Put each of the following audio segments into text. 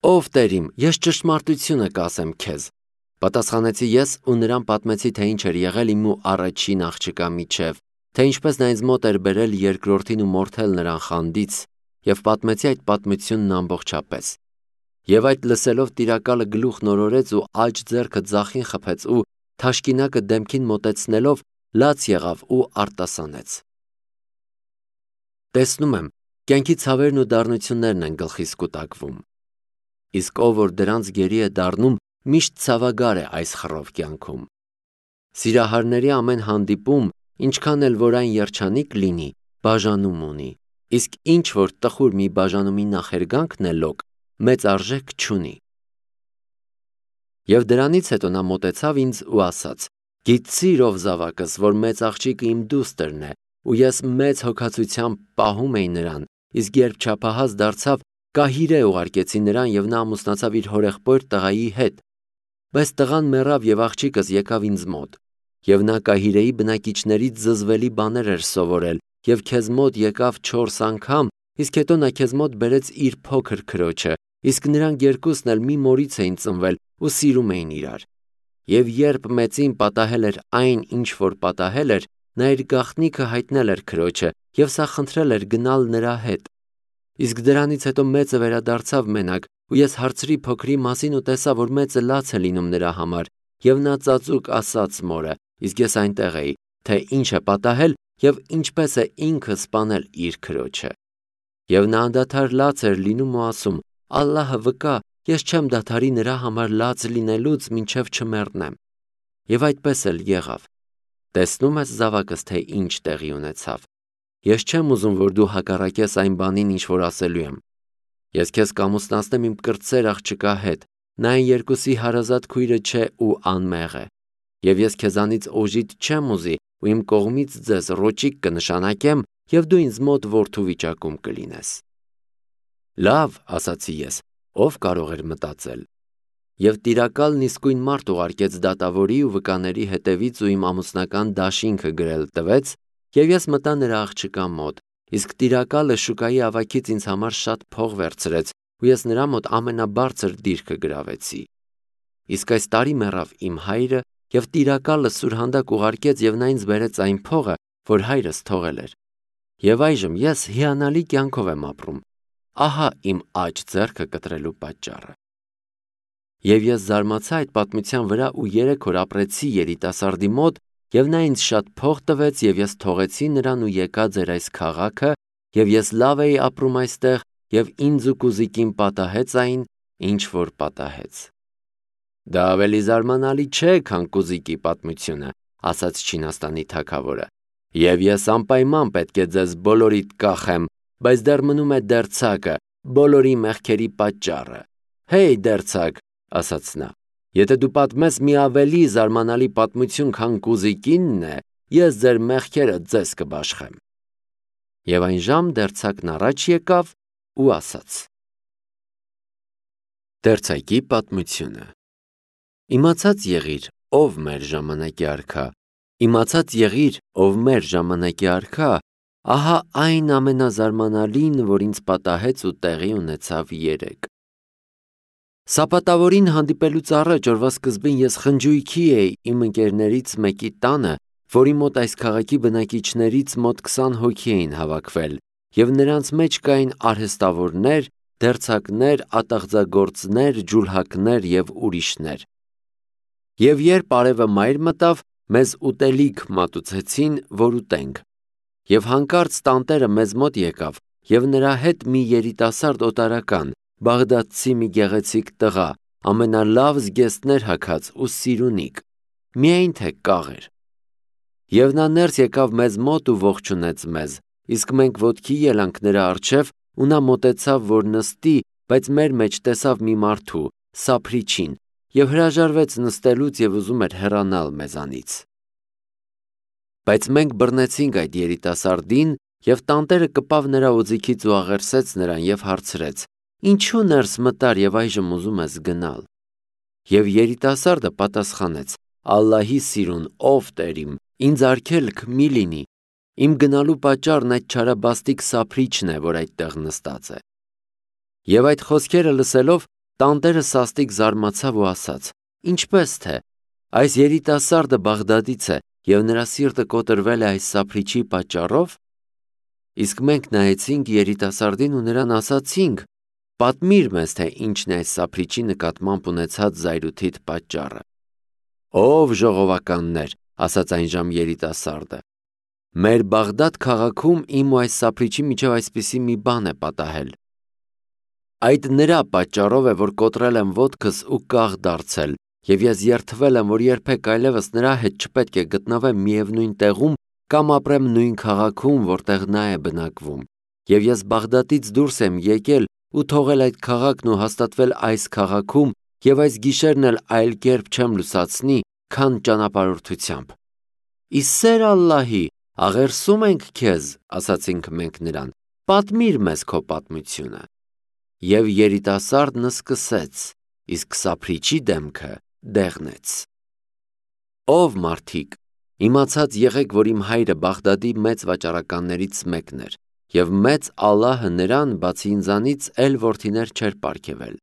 Ով Տեր իմ, ես ճշմարտությունը կասեմ քեզ։ Պատասխանեցի ես ու նրան պատմեցի, թե ինչ էր եղել իմ ու առաջին աղջկա միջև, թե ինչպես նա ինձ մոտ էր բերել երկրորդին ու մորթել նրան խանդից, եւ պատմեցի այդ պատմությունն ամբողջապես։ Եվ այդ լսելով տիրակալը գլուխ նորորեց ու աջ ձեռքը ձախին խփեց ու թաշկինակը դեմքին մոտեցնելով լաց եղավ ու արտասանեց։ Տեսնում եմ, կյանքի ցավերն ու դառնություններն են գլխիս կուտակվում։ Իսկ ով որ դրանց գերի է դառնում, միշտ ցավագար է այս խռով կյանքում։ Սիրահարների ամեն հանդիպում, ինչքան էլ որ այն երջանիկ լինի, բաժանում ունի, իսկ ինչ որ տխուր մի բաժանումի նախերգանքն է լոկ, մեծ արժեք չունի։ Եվ դրանից հետո նա մոտեցավ ինձ ու ասաց. «Գիտցի՞ր, ով զավակս, որ մեծ աղջիկը իմ դուստրն է, ու ես մեծ հոգացությամբ պահում էի նրան, իսկ երբ չափահաս դարձավ, կահիրե ուղարկեցի նրան և նա ամուսնացավ իր հորեղբոր տղայի հետ։ Բայց տղան մեռավ և աղջիկս եկավ ինձ մոտ։ Եվ նա կահիրեի բնակիչներից զզվելի բաներ էր սովորել և քեզ մոտ եկավ 4 անգամ, իսկ հետո նա քեզ մոտ բերեց իր փոքր քրոջը, իսկ նրանք երկուսն էլ մի մորից էին ծնվել ու սիրում էին իրար։ Եվ երբ մեծին պատահել էր այն, ինչ որ պատահել էր, նա իր գաղտնիքը հայտնել էր քրոջը և սա խնդրել էր գնալ նրա հետ։ Իսկ դրանից հետո մեծը վերադարձավ մենակ, ու ես հարցրի փոքրի մասին ու տեսա, որ մեծը լաց է լինում նրա համար, և նա ծածուկ ասաց մորը, իսկ ես այնտեղ էի, թե ինչ է պատահել և ինչպես է ինքը սպանել իր քրոջը։ Եվ նա անդադար լաց էր լինում ու ասում. «Ալլահը վկա, ես չեմ դադարի նրա համար լաց լինելուց, մինչև չմեռնեմ»։ Եվ այդպես էլ եղավ։ Տեսնում ես, զավակս, թե ինչ տեղի ունեցավ։ Ես չեմ ուզում, որ դու հակառակես այն բանին, ինչ որ ասելու եմ։ Ես քեզ կամուսնացնեմ իմ կրտսեր աղջկա հետ, նա այն երկուսի հարազատ քույրը չէ ու անմեղ է։ Եվ ես քեզանից օժիտ չեմ ուզի ու իմ կողմից ձեզ ռոճիկ կնշանակեմ, և դու ինձ մոտ որդու վիճակում կլինես։ Լավ, ասացի ես, ով կարող էր մտածել։ Եվ տիրակալն իսկույն մարդ ուղարկեց դատավորի ու վկաների հետևից ու իմ ամուսնական դաշինքը գրել տվեց, և ես մտա նրա աղջկա մոտ, իսկ տիրակալը շուկայի ավագից ինձ համար շատ փող վերցրեց, ու ես նրա մոտ ամենաբարձր դիրքը գրավեցի։ Իսկ այս տարի մեռավ իմ հայրը, և տիրակալը սուրհանդակ ուղարկեց, և նա ինձ բերեց այն փողը, որ հայրս թողել էր։ Եվ այժմ ես հիանալի կյանքով եմ ապրում։ Ահա իմ աջ ձեռքը կտրելու պատճառը։ Եվ ես զարմացա այդ պատմության վրա ու 3 օր ապրեցի երիտասարդի մոտ, և նա ինձ շատ փող տվեց, և ես թողեցի նրան ու եկա ձեր այս քաղաքը, և ես լավ էի ապրում այստեղ, և ինձ ու կուզիկին պատահեց այն, ինչ որ պատահեց։ Դա ավելի զարմանալի չէ, քան կուզիկի պատմությունը, ասաց Չինաստանի թագավորը։ Եվ ես անպայման պետք է ձեզ բոլորիդ կախեմ, բայց դեռ մնում է դերձակը, բոլորի մեղքերի պատճառը։ Հեյ, դերձակ, ասաց նա, եթե դու պատմես մի ավելի զարմանալի պատմություն, քան կուզիկինն է, ես ձեր մեղքերը ձեզ կբաշխեմ։ Եվ այն ժամ դերձակն առաջ եկավ ու ասաց. Դերձակի պատմությունը։ Իմացած եղիր, ով մեր ժամանակի արքա, իմացած եղիր, ով մեր ժամանակի արքա, ահա այն ամենազարմանալին, որ ինձ պատահեց ու տեղի ունեցավ երեկ։ Սապատավորին հանդիպելուց առաջ օրվա սկզբին ես խնջույքի էի իմ ընկերներից մեկի տանը, որի մոտ այս քաղաքի բնակիչներից մոտ 20 հոգի էին հավաքվել, և նրանց մեջ կային արհեստավորներ, դերձակներ, ատաղձագործներ, ջուլհակներ և ուրիշներ։ Եվ երբ արևը մայր մտավ, մեզ ուտելիք մատուցեցին, որ ուտենք։ Եվ հանկարծ տանտերը մեզ մոտ եկավ, և նրա հետ մի երիտասարդ օտարական, բաղդադցի մի գեղեցիկ տղա, ամենալավ զգեստներ հագած ու սիրունիկ, միայն թե կաղ էր։ Եվ նա ներս եկավ մեզ մոտ ու ողջունեց մեզ, իսկ մենք ոտքի ելանք նրա առջև, ու նա մոտեցավ, որ նստի, բայց մեր մեջ տեսավ մի մարդու, սափրիչին, և հրաժարվեց նստելուց և ուզում էր հեռանալ մեզանից։ Բայց մենք բռնեցինք այդ երիտասարդին, և տանտերը կպավ նրա օձիքից ու աղերսեց նրան և հարցրեց. «Ինչու ներս մտար և այժմ ուզում ես գնալ»։ Եվ երիտասարդը պատասխանեց. «Ալլահի սիրուն, ով Տեր իմ, ինձ արգելք մի լինի։ Իմ գնալու պատճառն այդ չարաբաստիկ սափրիչն է, որ այդտեղ նստած է»։ Եվ այդ խոսքերը լսելով, Տանտերը սաստիկ զարմացավ ու ասաց. «Ինչպես թե, այս երիտասարդը Բաղդադից է և նրա սիրտը կոտրվել է այս սափրիչի պատճառով»։ Իսկ մենք նայեցինք երիտասարդին ու նրան ասացինք. «Պատմիր մեզ, թե ինչն է այս սափրիչի նկատմամբ ունեցած զայրույթիդ պատճառը»։ «Ով ժողովականներ», ասաց այնժամ երիտասարդը, «մեր Բաղդադ քաղաքում իմ ու այս սափրիչի միջև այսպիսի մի բան է պատահել։ Այդ նրա պատճառով է, որ կոտրել եմ ոտքս ու կաղ դարձել, և ես երդվել եմ, որ երբեք այլևս նրա հետ չպետք է գտնվեմ միևնույն տեղում կամ ապրեմ նույն քաղաքում, որտեղ նա է բնակվում, և ես Բաղդադից դուրս եմ եկել ու թողել այդ քաղաքն ու հաստատվել այս քաղաքում և այս գիշերն էլ այլ կերպ չեմ լուսացնի, քան ճանապարհորդությամբ»։ «Ի սեր Ալլահի, աղերսում ենք քեզ», ասացինք մենք նրան, «պատմիր մեզ քո պատմությունը»։ Եվ երիտասարդն սկսեց, իսկ սափրիչի դեմքը դեղնեց։ «Ով մարդիկ, իմացած եղեք, որ իմ հայրը Բաղդադի մեծ վաճառականներից մեկն էր, և մեծ Ալլահը նրան, բացի ինձանից, էլ որդիներ չէր պարգևել։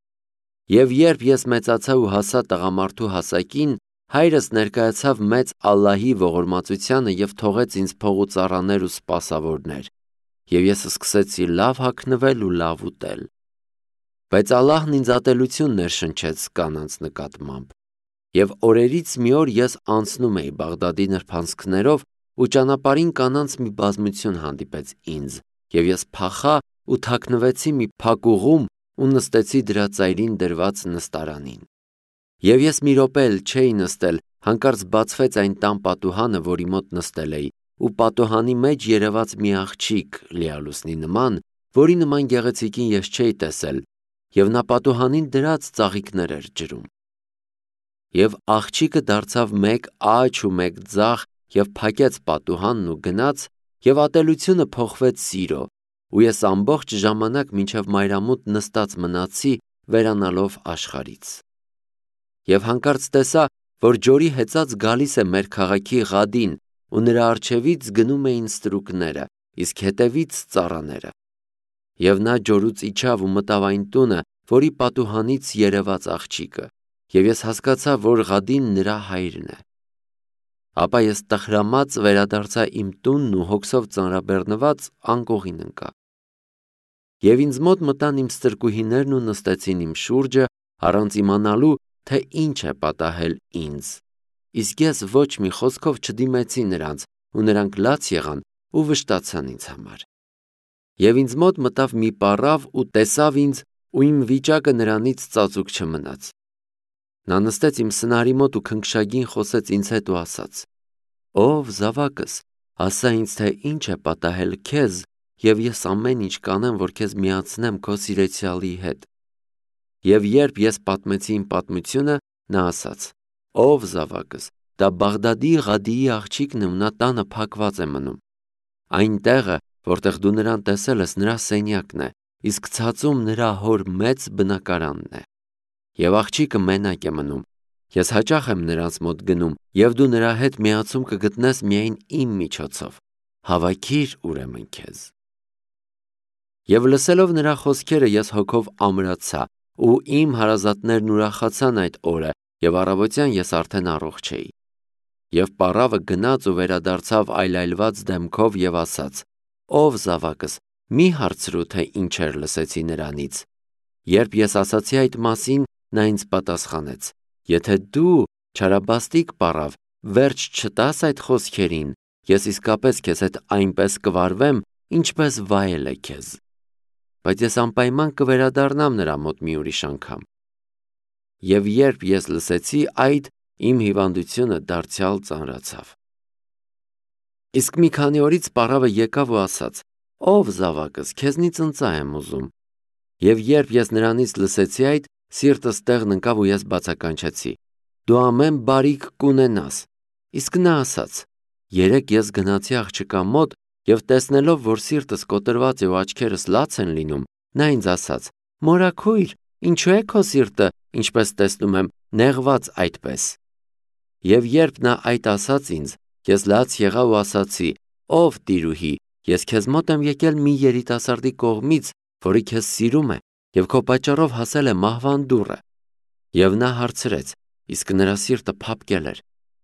Եվ երբ ես մեծացա ու հասա տղամարդու հասակին, հայրս ներկայացավ մեծ Ալլահի ողորմածությանը և թողեց ինձ փող ու ծառաներ ու սպասավորներ, և ես սկսեցի լավ հագնվել ու լավ ուտել։ Բայց Ալլահն ինձ ատելություն ներշնչեց կանանց նկատմամբ, և օրերից մի օր ես անցնում էի Բաղդադի նրբանցքներով ու ճանապարհին կանանց մի բազմություն հանդիպեց ինձ, և ես փախա ու թաքնվեցի մի փակուղում ու նստեցի դրա ծայրին դրված նստարանին։ Եվ ես մի րոպե էլ չէի նստել, հանկարծ բացվեց այն տան պատուհանը, որի մոտ նստել էի, ու պատուհանի մեջ երևաց մի աղջիկ լիալուսնի նման, որի նման գեղեցիկին ես չէի տեսել, և նա պատուհանին դրած ծաղիկներ էր ջրում։ Եվ աղջիկը դարձավ մեկ աջ ու մեկ ձախ և փակեց պատուհանն ու գնաց, և ատելությունը փոխվեց սիրո, ու ես ամբողջ ժամանակ մինչև մայրամուտ նստած մնացի, վերանալով աշխարհից։ Եվ հանկարծ տեսա, որ ջորի հեծած գալիս է մեր քաղաքի Ղադին, ու նրա առջևից գնում էին ստրուկները, իսկ հետևից ծառաները։ Եվ նա ջորուց իջավ ու մտավ այն տունը, որի պատուհանից երևաց աղջիկը, և ես հասկացա, որ Ղադին նրա հայրն է։ Ապա ես տխրամած վերադարձա իմ տունն ու հոգսով ծանրաբեռնված անկողին ընկա։ Եվ ինձ մոտ մտան իմ ստրկուհիներն ու նստեցին իմ շուրջը, առանց իմանալու, թե ինչ է պատահել ինձ, իսկ ես ոչ մի խոսքով չդիմեցի նրանց, ու նրանք լաց եղան ու վշտացան ինձ համար։ Եվ ինձ մոտ մտավ մի պառավ ու տեսավ ինձ, ու իմ վիճակը նրանից ծածուկ չմնաց։ Նա նստեց իմ սնարի մոտ ու քնքշագին խոսեց ինձ հետ ու ասաց. «Ով զավակս, ասա ինձ, թե ինչ է պատահել քեզ, և ես ամեն ինչ կանեմ, որ քեզ միացնեմ քո սիրեցյալի հետ»։ Եվ երբ ես պատմեցի իմ պատմությունը, նա ասաց. «Ով զավակս, դա Բաղդադի Ղադիի աղջիկն է ու նա տանը փակված է մնում։ Այն տեղը, որտեղ դու նրան տեսել ես, նրա սենյակն է, իսկ ցածում նրա հոր մեծ բնակարանն է։ Եվ աղջիկը մենակ է մնում։ Ես հաճախ եմ նրանց մոտ գնում, և դու նրա հետ միացում կգտնես միայն իմ միջոցով։ Հավաքիր ուրեմն քեզ»։ Եվ լսելով նրա խոսքերը ես հոգով ամրացա, ու իմ հարազատներն ուրախացան այդ օրը, և առավոտյան ես արդեն առողջ էի։ Եվ պառավը գնաց ու վերադարձավ այլայլված դեմքով և ասաց. «Ով զավակս, մի հարցրու, թե ինչեր լսեցի նրանից»։ Երբ ես ասացի այդ մասին, նա ինձ պատասխանեց. «Եթե դու, չարաբաստիկ պառավ, վերջ չտաս այդ խոսքերին, ես իսկապես քեզ հետ այնպես կվարվեմ, ինչպես վայել է քեզ։ Բայց ես անպայման կվերադառնամ նրա մոտ մի ուրիշ անգամ»։ Եվ երբ ես լսեցի այդ, իմ հիվանդությունը դարձյալ ծանրացավ։ Իսկ մի քանի օրից պառավը եկավ ու ասաց. «Ով զավակս, քեզնից ընծա եմ ուզում»։ Եվ երբ ես նրանից լսեցի այդ, սիրտս տեղն ընկավ ու ես բացականչեցի. «Դու ամեն բարիք կունենաս»։ Իսկ նա ասաց. «Երեկ ես գնացի աղջկա մոտ, և տեսնելով, որ սիրտս կոտրված է ու աչքերս լաց են լինում, նա ինձ ասաց. «Մորաքույր, ինչու է քո սիրտը, ինչպես տեսնում եմ, նեղված այդպես»։ Եվ երբ նա այդ ասաց ինձ, ես լաց եղա ու ասացի. «Ով տիրուհի, ես քեզ մոտ եմ եկել մի երիտասարդի կողմից, որը քեզ սիրում է եւ քո պատճառով հասել է մահվան դուռը։ Եվ նա հարցրեց, իսկ նրա սիրտը փափկել էր.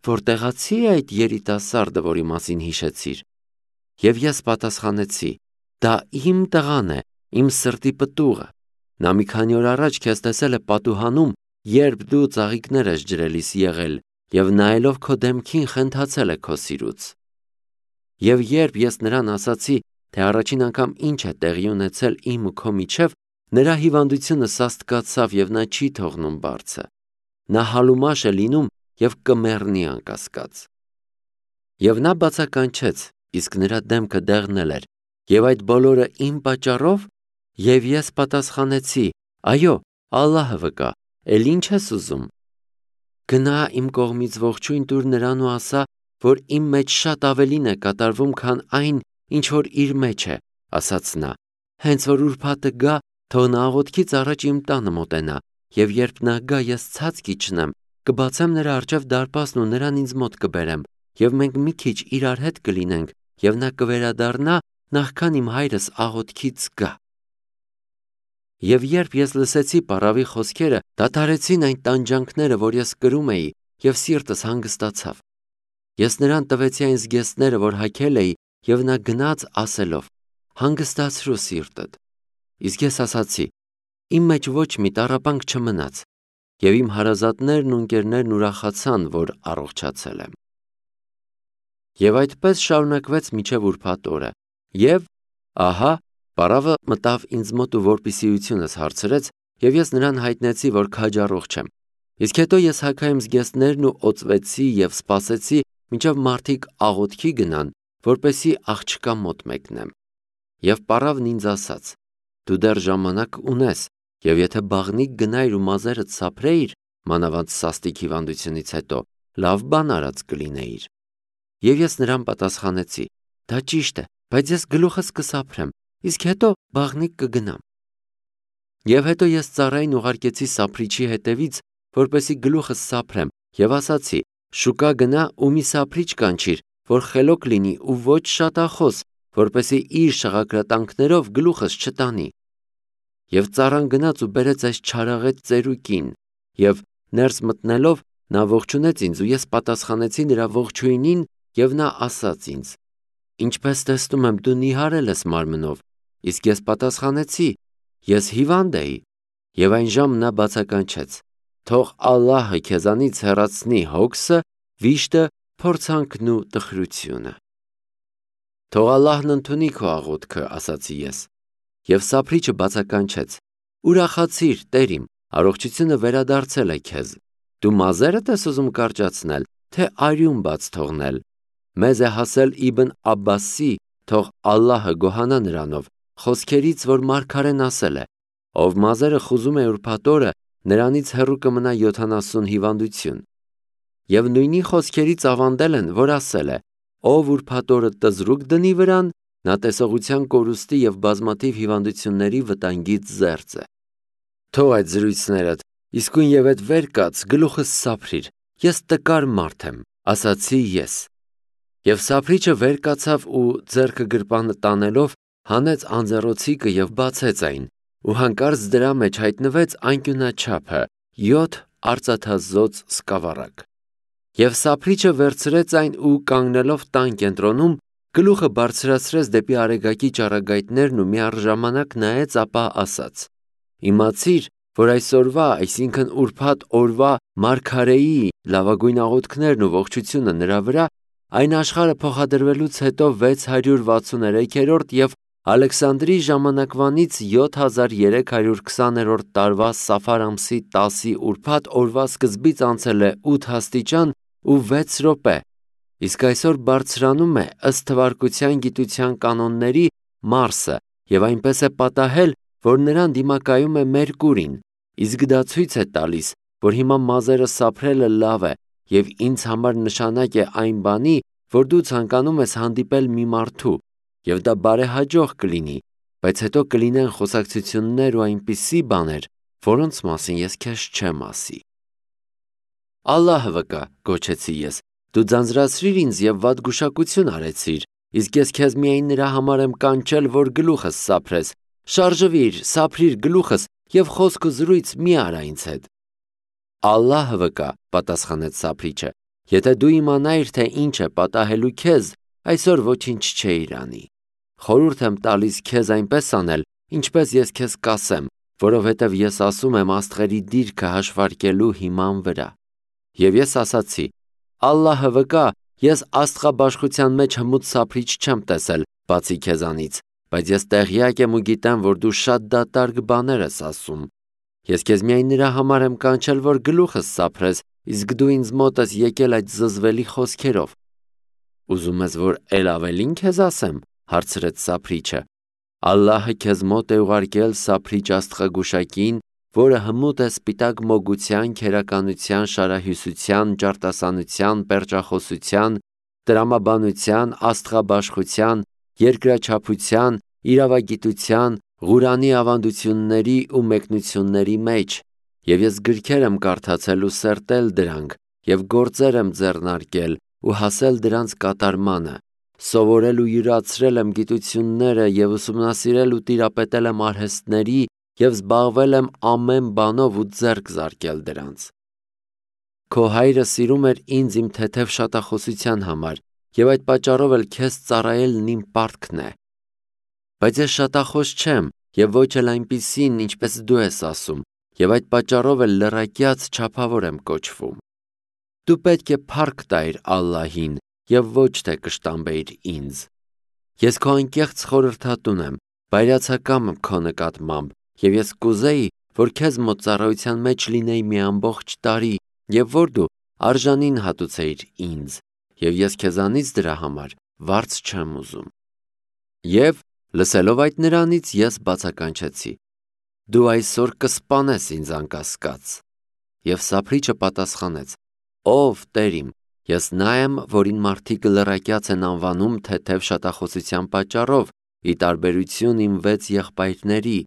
որտեղացի է այդ երիտասարդը, որի մասին հիշեցիր։ Եվ ես պատասխանեցի. դա իմ տղան է, իմ սրտի պտուղը։ Նա մի քանի օր առաջ քեզ տեսել է պատուհանում, երբ դու ծաղիկներ ես ջրելիս եղել, եւ նայելով քո դեմքին խենթացել է քո սիրուց։ Եվ երբ ես նրան ասացի, թե առաջին անգամ ինչ է տեղի ունեցել իմ ու քո միջև, նրա հիվանդությունը սաստկացավ եւ նա չի թողնում բարձը։ Նա հալումաշ է լինում եւ կմեռնի անկասկած։ Եվ նա բացականչեց, իսկ նրա դեմքը դեղնել էր, եւ այդ բոլորը իմ պատճառով։ Եվ ես պատասխանեցի. այո, Ալլահը վկա, էլ ինչ ես ուզում։ Գնա իմ կողմից ողջույն տուր նրան ու ասա, որ իմ մեջ շատ ավելին է կատարվում, քան այն, ինչ որ իր մեջ է, ասաց նա։ Հենց որ ուրբաթը գա, թող նա աղոթքից առաջ իմ տանը մոտենա, եւ երբ նա գա, ես ցած կիջնեմ, կբացեմ նրա առջև դարպասն ու նրան ինձ մոտ կբերեմ, եւ մենք մի քիչ իրար հետ կլինենք, եւ նա կվերադառնա, նախքան իմ հայրս աղոթքից գա։ Եվ երբ ես լսեցի պարավի խոսքերը, դադարեցին այն տանջանքները, որ ես կրում էի, եւ սիրտս հանգստացավ։ Ես նրան տվեցի այն զգեստները, որ հագել էի, եւ նա գնաց ասելով. հանգստացրու սիրտդ։ Իսկ ես ասացի. իմ մեջ ոչ մի տառապանք չմնաց, եւ իմ հարազատներն ու ընկերներն ուրախացան, որ առողջացել եմ։ Եվ այդպես շարունակվեց մինչև ուրբաթ օրը։ Եվ ահա, պարավը մտավ ինձ մոտ ու որպիսիությունս հարցրեց, եւ ես նրան հայտնեցի, որ քաջառողջ եմ։ Իսկ հետո ես հագա իմ զգեստներն ու օծվեցի եւ սպասեցի, մինչև մարդիկ աղոթքի գնան, որպեսի աղջկա մոտ մեկնեմ։ Եվ պարավն ինձ ասաց. դու դեռ ժամանակ ունես, եւ եթե բաղնիկ գնայր ու մազերդ սափրեիր, մանավանդ սաստիկ հիվանդությունից հետո, լավ բան արած կլինեիր։ Եվ ես նրան պատասխանեցի. դա ճիշտ է, բայց ես գլուխս կսափրեմ, իսկ հետո բաղնիկ կգնամ։ Եվ հետո ես ծառային ուղարկեցի սափրիչի հետևից, որպեսի գլուխս սափրեմ, եւ ասացի. շուկա գնա ու մի սափրիչ կանչիր, որ խելոք լինի ու ոչ շատախոս, որպեսի իր շղագրատանքներով գլուխս չտանի։ Եվ ծառան գնաց ու բերեց այս չարաղետ ծերուկին, եւ ներս մտնելով նա ողջունեց ինձ ու ես պատասխանեցի նրա ողջույնին, եւ նա ասաց ինձ. ինչպես տեսնում եմ, դու նիհարել ես մարմնով, իսկ ես պատասխանեցի. ես հիվանդ էի, եւ այն ժամ նա բացականչեց. թող Ալլահը քեզանից հեռացնի հոգսը, վիշտը, փորձանքն ու տխրությունը։ Թող Ալլահն ընդունի քո աղոթքը, ասացի ես։ Եվ սափրիչը բացականչեց. ուրախացիր, Տեր իմ, առողջությունը վերադարձել է քեզ։ Դու մազերդ ես ուզում կարճացնել, թե արյուն բաց թողնել։ Մեզ է հասել Իբն Աբբասի, թող Ալլահը գոհանա նրանով, խոսքերից, որ մարգարեն ասել է. ով մազերը խուզում է ուրբաթ օրը, նրանից հեռու կմնա 70 հիվանդություն։ Եվ նույնի խոսքերից ավանդել են, որ ասել է. ով ուրբաթ օրը տզրուկ դնի վրան, նա տեսողության կորուստի եւ բազմաթիվ հիվանդությունների վտանգից զերծ է։ Թող այդ զրույցներդ, իսկույն եւ այդ վեր կաց գլուխս սափրիր, ես տկար մարդ եմ, ասացի ես։ Եվ սափրիչը վեր կացավ ու ձեռքը գրպանը տանելով հանեց անձեռոցիկը եւ բացեց այն, ու հանկարծ դրա մեջ հայտնվեց անկյունաչափը 7 արծաթազոծ սկավառակ։ Եվ սափրիչը վերցրեց այն ու կանգնելով տան կենտրոնում, գլուխը բարձրացրեց դեպի արեգակի ճառագայթներն ու միառժամանակ նայեց, ապա ասաց. իմացիր, որ այսօրվա, այսինքն ուրբաթ օրվա մարգարեի լավագույն աղոթքներն ու ողջությունը նրա վրա, այն աշխարհը փոխադրվելուց հետո 663-րդ եւ Ալեքսանդրի ժամանակվանից 7320-րդ տարվա Սաֆար ամսի 10-ի ուրբաթ օրվա սկզբից անցել է 8 աստիճան ու 6 րոպե, իսկ այսօր բարձրանում է ըստ թվարկության գիտության կանոնների Մարսը եւ այնպես է պատահել, որ նրան դիմակայում է Մերկուրին, իսկ դա ցույց է տալիս, որ հիմա մազերը սափրելը լավ է եւ ինձ համար նշանակ է այն բանի, որ դու ցանկանում ես հանդիպել մի մարդու, եւ դա բարեհաջող կլինի, բայց հետո կլինեն խոսակցություններ ու այնպիսի բաներ, որոնց մասին ես քեզ չեմ ասի։ Ալլահը վկա, գոչեցի ես, դու ձանձրացրիր ինձ եւ վատ գուշակություն արեցիր, իսկ ես քեզ միայն նրա համար եմ կանչել, որ գլուխս սափրես։ Շարժվիր, սափրիր գլուխս եւ խոսք ու զրույց մի արա ինձ հետ։ Ալլահը վկա, պատասխանեց Սափրիչը, եթե դու իմանայիր, թե ինչ է պատահելու քեզ, այսօր ոչինչ չէիր անի։ Խորհուրդ եմ տալիս քեզ այնպես անել, ինչպես ես քեզ կասեմ, որովհետև ես ասում եմ աստղերի դիրքը հաշվարկելու հիման վրա։ Եվ ես ասացի. Ալլահը վկա, ես աստղաբաշխության մեջ հմուտ Սափրիչ չեմ տեսել, բացի քեզանից, բայց ես տեղյակ եմ ու գիտեմ, որ դու շատ դատարկ բաներ ես ասում։ Ես քեզ միայն նրա համար եմ կանչել, որ գլուխս սափրես, իսկ դու ինձ մոտ ես եկել այդ զզվելի խոսքերով։ Ուզում ես, որ էլ ավելին քեզ ասեմ, հարցրեց Սափրիչը։ Ալլահը քեզ մոտ է ուղարկել Սափրիչ աստղագուշակին, որը հմուտ է սպիտակ մոգության, քերականության, շարահյուսության, ճարտասանության, պերճախոսության, տրամաբանության, աստղաբաշխության, երկրաչափության, իրավագիտության, Ղուրանի ավանդությունների ու մեկնությունների մեջ, եւ ես գրքեր եմ կարդացել ու սերտել դրանք, եւ գործեր եմ ձեռնարկել ու հասել դրանց կատարմանը, սովորել ու յուրացրել եմ գիտությունները եւ ուսումնասիրել ու տիրապետել եմ արհեստների եւ զբաղվել եմ ամեն բանով ու ձեռք զարկել դրանց։ Քո հայրը սիրում էր ինձ իմ թեթև շատախոսության համար, եւ այդ պատճառով էլ քեզ ծառայելն իմ պարտքն է։ Բայց ես շատախոս չեմ եւ ոչ էլ այնպիսին, ինչպես դու ես ասում, եւ այդ պատճառով էլ լռակյաց չափավոր եմ կոչվում։ Դու պետք է փառք տայր Ալլահին եւ ոչ թե կշտամբեիր ինձ։ Ես քո անկեղծ խորհրդատուն եմ, բայրացակամ քո նկատմամբ, եւ ես կուզեի, որ քեզ մոտ ծառայության մեջ լինեի մի ամբողջ տարի, եւ որ դու արժանին հատուցեիր ինձ, եւ ես քեզանից դրա համար վարձ չեմ ուզում։ Եվ լսելով այդ նրանից ես բացականչեցի. Դու այսօր կսպանես ինձ անկասկած։ Եվ Սափրիչը պատասխանեց. Ով Տեր իմ, ես նա եմ, որին մարդիկ լռակյաց են անվանում թեթև շատախոսության պատճառով, ի տարբերություն իմ 6 եղբայրների,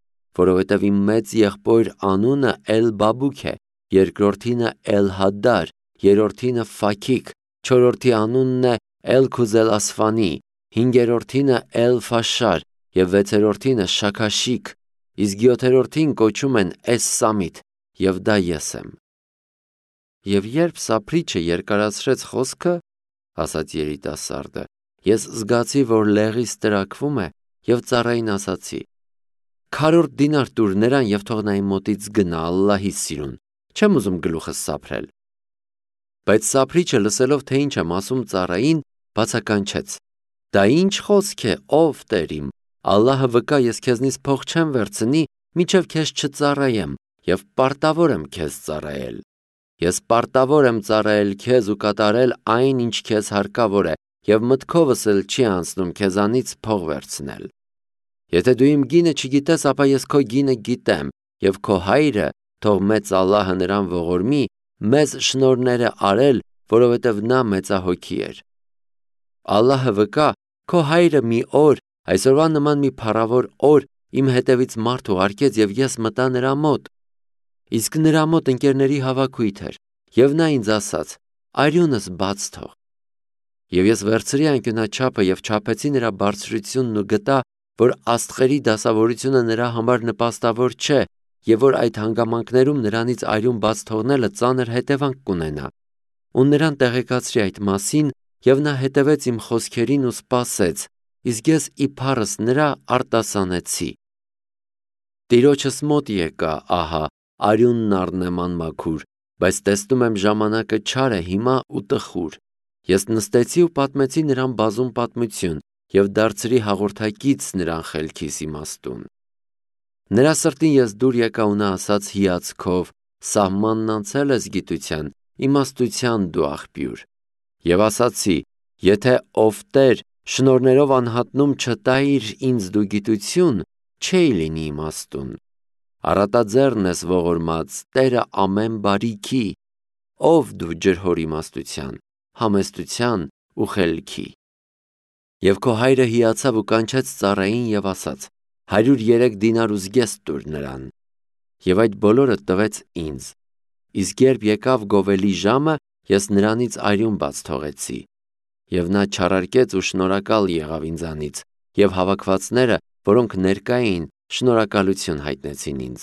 որովհետև իմ մեծ եղբոր անունը Էլ-Բաբուք է, երկրորդինը Էլ-Հադդար, երրորդինը Ֆաքիք, չորրորդի անունն է Էլ-Քուզել-Ասֆանի, հինգերորդինը Էլ-Ֆաշար եւ վեցերորդինը Շաքաշիկ, իսկ յոթերորդին կոչում են Էս-Սամիթ, եւ դա ես եմ։ Եվ երբ Սափրիչը երկարացրեց խոսքը, ասաց երիտասարդը, ես զգացի, որ լեղիս տրաքվում է եւ ծառային ասացի. Քառորդ դինար տուր նրան եւ թող նա իմ մոտից գնա Ալլահի սիրուն, չեմ ուզում գլուխս սափրել։ Բայց Սափրիչը լսելով, թե ինչ եմ ասում ծառային, բացականչեց. Դա ինչ խոսք է, ով Տեր իմ, Ալլահը վկա, ես քեզնից փող չեմ վերցնի, մինչև քեզ չծառայեմ, եւ պարտավոր եմ քեզ ծառայել։ Ես պարտավոր եմ ծառայել քեզ ու կատարել այն, ինչ քեզ հարկավոր է, եւ մտքովս էլ չի անցնում քեզանից փող վերցնել։ Եթե դու իմ գինը չգիտես, ապա ես քո գինը գիտեմ, եւ քո հայրը, թող մեծ Ալլահը նրան ողորմի, մեզ շնորհներ է արել, որովհետև նա մեծահոգի էր։ Ալլահը վկա, քո հայրը մի օր, այսօրվա նման մի փառավոր օր, իմ հետևից մարդ ուղարկեց եւ ես մտա նրա մոտ։ Իսկ նրա մոտ ընկերների հավաքույթ էր, եւ նա ինձ ասաց. «Արյունս բաց թող»։ Եվ ես վերցրի անկյունաչափը եւ չափեցի նրա բարձրությունն ու գտա, որ աստղերի դասավորությունը նրա համար նպաստավոր չէ եւ որ այդ հանգամանքներում նրանից արյուն բաց թողնելը ծանր հետևանք կունենա։ Ու նրան տեղեկացրի այդ մասին եւ նա հետևեց իմ խոսքերին ու սպասեց, իսկ ես իբարս նրա արտասանեցի։ Տիրոջս մոտ եկա, ահա, արյունն առնեման մաքուր, բայց տեսնում եմ ժամանակը չար է հիմա ու տխուր։ Ես նստեցի ու պատմեցի նրան բազում պատմություն եւ դարձրի հաղորդակից նրան խելքիս իմաստուն։ Նրա սրտին ես դուր եկա ու նա ասաց հիացքով. «Սահմանն անցել ես գիտության, իմաստության դու աղբյուր»։ Եվ ասացի. «Եթե ով Տեր շնորներով անհատնում չտայիր ինձ դու գիտություն, չէի լինի իմաստուն։ Առատաձեռն ես ողորմած, Տերը ամեն բարիքի, ով դու ջրհոր իմաստության, համեստության ու խելքի»։ Եվ քո հայրը հիացավ ու կանչեց ծառային եւ ասաց. 103 դինար ու զգեստ տուր նրան։ Եվ այդ բոլորը տվեց ինձ։ Իսկ երբ եկավ գովելի ժամը, ես նրանից արյուն բաց թողեցի։ Եվ նա չարարկեց ու շնորհակալ եղավ ինձանից, եւ հավաքվածները, որոնք ներկա էին, շնորհակալություն հայտնեցին ինձ։